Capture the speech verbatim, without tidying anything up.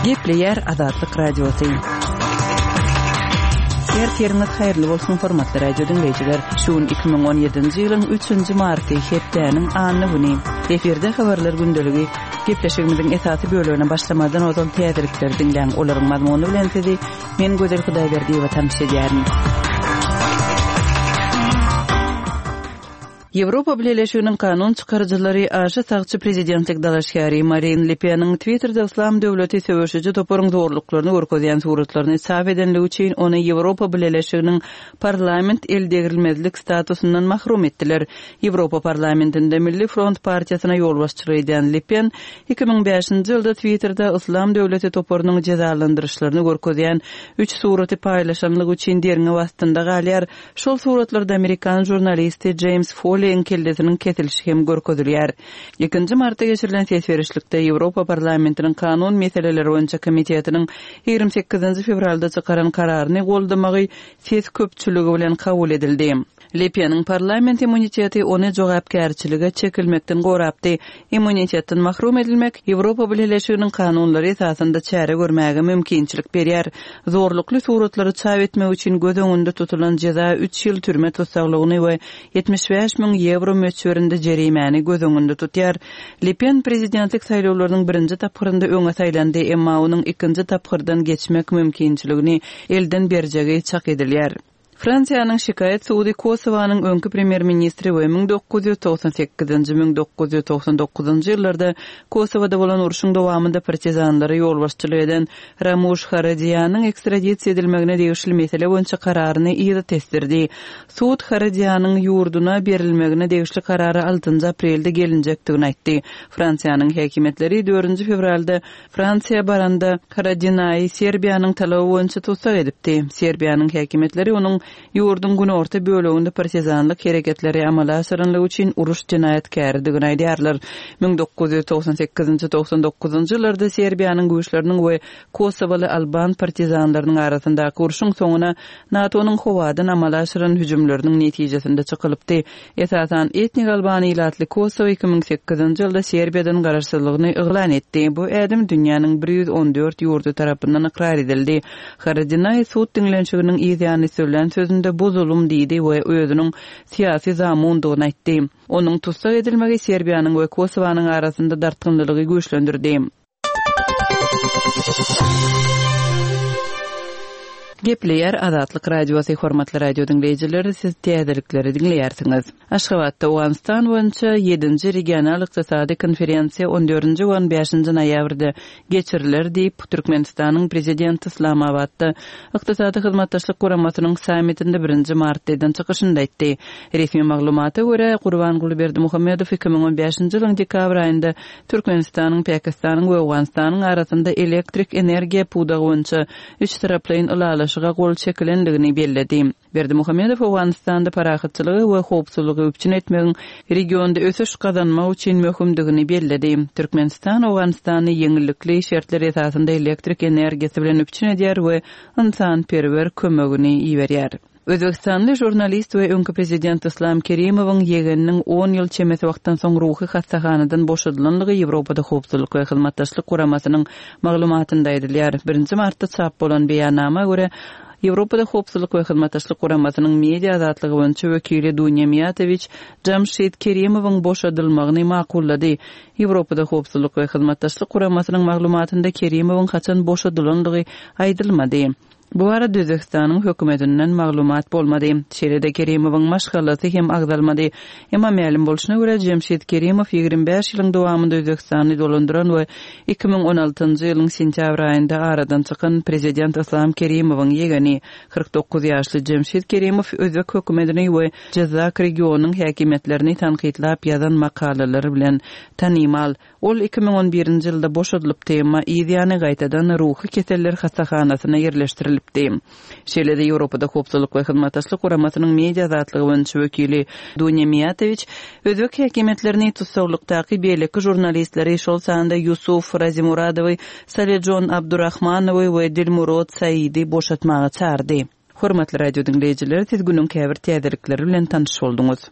Gepleýär Azatlyk Radiosy. Ertiriňiz haýyrly bolsun, hormatly radio diňleýjiler. Şu gün iki müň on ýedinji ýylyň üçünji marty, hepdäniň anna güni. Efirde habarlar gündeligi. Gepleşigimiziň esasy bölegine başlamazdan ozal täzelikleri diňläň. Olaryň mazmuny bilen sizi men Gözel Hudaýberdiýewa tanyş edýärin. Ýewropa Bileleşiginiň kanun çykaryjylary aşa sagçy prezidentlik dalaşgäri Marine Le Peniň Twitterde Yslam döwleti söweşiji toparyň zorluklaryny görkezýän suratlaryny çap edenligi üçin ony Ýewropa Bileleşiginiň parlament eldegrilmezlik statusyndan mahrum etdiler. Ýewropa Parlamentinde Milli front partiýasyna ýolbaşçylyk edýän Le Pen iki müň bäşinji ýylda Twitterde Yslam döwleti toparynyň jezalandyryşlaryny görkezýän üç suraty paýlaşanlygy üçin derňew astynda galýar. Şol suratlarda amerikan žurnalisti Jeýms Foliň kellesiniň kesilişi hem görkezilýär. Ikinji martda geçirilen ses berişlikde Ýewropa Parlamentiniň kanun meseleleri boýunça komitetiniň ýigrimi sekizinji fewralda çykaran kararyny goldamagy ses köpçüligi bilen kabul edildi. Le Peniň parlament immuniteti ony jogapkärçilige çekilmekden gorapdy. Immunitetden mahrum edilmek Ýewropa Bileleşiginiň kanunlary esasynda çäre görmäge mümkinçilik berýär. Zorlukly suratlary çap etmek üçin göz öňünde tutulan jeza üç ýyl türme tussaglygyny we ýetmiş bäş müň ýewro möçberinde jerimäni göz öňünde tutýar. Le Pen prezidentlik saýlawlarynyň birinji tapgyrynda öňe saýlandy, emma onuň ikinji tapgyrdan geçmek mümkinçiligini elden berjegi çak edilýär. Fransiýanyň şikaýat sudy Kosowanyň öňki premýer-ministri we müň dokuz ýüz togsan sekizinji, müň dokuz ýüz togsan dokuzynjy ýyllarda Kosowada bolan urşuň dowamynda partizanlara ýolbaşçylyk eden Ramuş Haradiýanyň ekstradisiýa edilmegine degişli mesele boýunça kararyny yza tesdirdi. Sud Haradiýanyň ýurduna berilmegine degişli karary altynjy aprelde gelinjekdigini aýtdy. Fransiýanyň häkimiýetleri dördünji fewralda Fransiýa baranda Haradinaýy Serbiýanyň talaby boýunça tussag edipdi. Serbiýanyň häkimiýetleri onuň ýurduň günorta böleginde partizanlyk hereketleri amala aşyranlygy üçin uruş jenaýatkäridigini aýdýarlar. Müň dokuz ýüz togsan sekizinji, togsan dokuzynjy ýyllarda Serbiýanyň güýçleriniň we Kosowaly alban partizanlarynyň arasyndaky urşuň soňuna NATO-nyň howadan amala aşyran hüjümleriniň netijesinde çykylypdy. Esasan etnik alban ilatly Kosowa iki müň sekizinji ýylda Serbiýadan garaşsyzlygyny yglan etdi. Bu ädim dünýäniň bir ýüz on dört ýurdy tarapyndan ykrar edildi. Haradinaý sud diňlenişiginiň yzýany sözlän sözünde bu zulum diýdi we özüniň syýasy zamundygyny aýtdy. Onuň tussag edilmegi Serbiýanyň we Kosowanyň arasynda dartgynlylygy güýçlendirdi. Gepleýär Azatlyk Radiosy, hormatly radio diňleýjiler, siz täzelikleri diňleýärsiňiz. Aşgabatda Owganystan boýunça ýedinji regional ykdysady konferensiýa on dördünji we on bäşinji noýabrda geçiriler diýip, Türkmenistanyň prezidenti Islamabatda Ykdysady hyzmatdaşlyk guramasynyň sammitinde birinji martda eden çykyşynda aýtdy. Resmi maglumata görä, Gurbanguly Berdimuhamedow iki müň on bäşinji ýylyň dekabr aýynda Türkmenistanyň, Pakistanyň we Owganystanyň arasynda elektrik energiýa pudagy boýunça üç taraplaýyn ylalaşyga gol çekilendigini belledi. Berdimuhamedow Owganystanda parahatçylygy we howpsuzlygy üpjün etmegiň regionda ösüş gazanmak üçin möhümdigini belledi. Türkmenistan Owganystany ýeňillikli şertler esasynda elektrik energiýasy bilen üpjün edýär we ynsanperwer kömegini iberýär. Özbekistanly žurnalist we öňki prezident Islam Kerimowyň ýegeniniň on ýyl çemesi wagtdan soň ruhy hassahanadan boşadylanlygy Ýewropada howpsuzlyk we hyzmatdaşlyk guramasynyň maglumatynda aýdylýar. Birinji martda çap bolan beýannama görä, Ýewropada howpsuzlyk we hyzmatdaşlyk guramasynyň media azatlygy boýunça wekili Dunýa Miýatowiç Jamşid Kerimowyň boşadylmagyny makullady. Ýewropada howpsuzlyk we hyzmatdaşlyk guramasynyň maglumatynda Kerimowyň haçan boşadylanlygy aýdylmady. Bu arada Özbekistanyň hökümetinden maglumat bolmady. Şeýle-de Kerimowyň maşgalasy hem agzalmady. Emma mälim bolşuna görä Jamşid Kerimow ýigrimi bäş ýylyň dowamynda Özbekistany dolandyran we iki müň on altynjy ýylyň sentýabr aýynda aradan çykan prezident Islam Kerimowyň ýegeni kyrk dokuz ýaşly Jamşid Kerimow özbek hökümetini we Jyzzak regionyň häkimiýetlerini tankytlap ýazan makalalary bilen tanymal. Ol iki müň on birinji ýylda boşadylypdy, emma yzýany gaýtadan ruhy keseller hassahanasyna ýerleşdirilipdi. Şeýle-de Ýewropada howpsuzlyk we hyzmatdaşlyk guramasynyň media azatlygy boýunça wekili Dunýa Miýatowiç özbek häkimiýetlerini tussaglykdaky beýleki žurnalistleri, şol sanda Ýusuf Razimuradowy, Salejon Abdurrahmanowy we Dilmurod Saidi boşatmaga çağırdy. Hormatly radio diňleýjiler, siz günüň käbir täzelikleri bilen tanyş bolduňyz.